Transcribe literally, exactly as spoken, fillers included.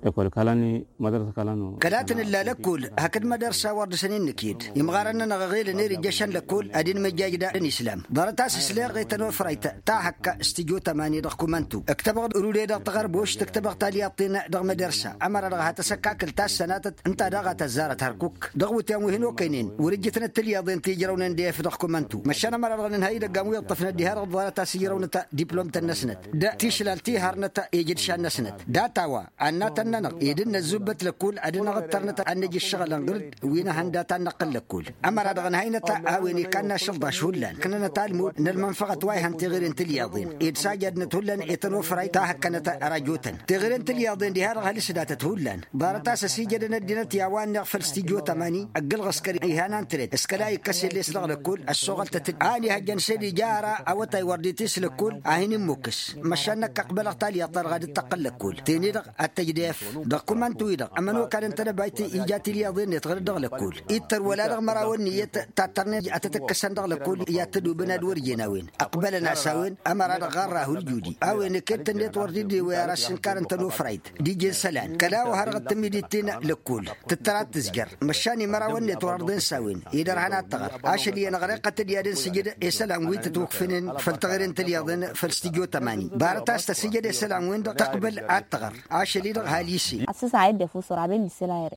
Lăkkol kalan mădărsa kalan. Kăla tǝnǝlla lăkkol hakd mădărsa wăr dăr-săn innǝked imɣarăn-nănăɣ ăɣelăn ere ijjăšăn lăkkol ad-inmăjjaj d-islam. Ḍarăt-as s-leɣ i-tănofrayt ta hăkk s-tijo tămani dăɣ-kumantu ǝktăbăɣ-dd rude dăɣ-taɣărbošt ǝktăbăɣ talyaḍt-in dăɣ-mădărsa. Ămăra-dăɣ ha tăsăkkakǝl ta s-sănatăt ǝnta daɣ a tăzzarăt hărkuk dăɣ-iwǝtyan wi hăn-okăynen wăr-ǝjjǝtnăt tilyaḍen ti ǝjrăwnăn d-efăḍ dăɣ-kumantu măšan ămăra-dăɣ nǝnhăy idăgg a-wen iṭṭăfnăt diha-dăɣ ḍarăt-as ǝjrăwnăt diplom-tăn-năsnăt d-tišlal ti harnăt ejǝdšan-năsnăt. Data-wa annatăn-nănăɣ ed dd-năzzubbăt lăkkul ad-dăɣ-năɣ ǝttărnăt ad-năj ǝššăɣǝl ănɣǝl-dd wi n-ehănda ta n-năqqǝl lăkkul. Ămăra-dăɣ ǝnhăynăt a-wen ikanna ašălḍaš hullan ǝknănăt almud n-ălmănfăɣăt wa ihăn tiɣiren tilyaḍen ed sajadnăt hullan i-tănofray ta hăkkănăt ărajotăn tiɣiren tilyaḍen diha-dăɣ hal-s datăt hullan. Ḍarăt-as ăsijădăn ăddinăt i-a-wa ǝnneɣ făll-s tijo tămani ăgg-ǝlɣǝskăr ihăn antret s-kăla ikkăs iles dăɣ-lăkkul ăssoɣăltăt-dd a ănihăjjăn s-ed ija ara awătay wăr dd-itis lăkkul a hin-immukkǝs. Măšan năkk ăqbălăɣ talyaḍt-ta-dăɣ ad-dd-tăqqǝl lăkkul ti-ni-dăɣ ad-tăj d-efăḍ dăɣ-kumantu-i-dăɣ ămănokal n-tedăbayt ija tilyaḍen-net ɣǝr-dd dăɣ-lăkkul ittăr wăla dăɣ-măraw ănniyăt ta ăttărnen ad-tăt-ǝkkǝsăn dăɣ-lăkkul i-ad-tǝdubǝn ad-wăr jen a-wen. Ăqbălăn-as a-wen ămăra-dăɣ ɣarra huljude a-wen ǝked-tăn-net wăr dd-ewăy ara s-inkar n-tănofrayt d-ije n-isălan kăla wa ha dăɣ-t-tǝmmidit-in lăkkul tǝttăra ad-tǝzjăr. Măšan imărawăn-net wăr-ărḍen s-a-wen i-dărhăn ad-tăɣăr ašăl iyyăn ăɣreɣ-tăt-dd i-ad-ǝnsǝjǝd isălan wi tătwǝkfǝnen făll-taɣre n-tilyaḍen făll-s tijo tămani. Ḍarăt a-s tăsǝjăd isălan-wen-dăɣ tăqbăl ad-tăɣăr ašăl-i-dăɣ ha lise. Asǝsa a dd-efus wăr-aben isălan.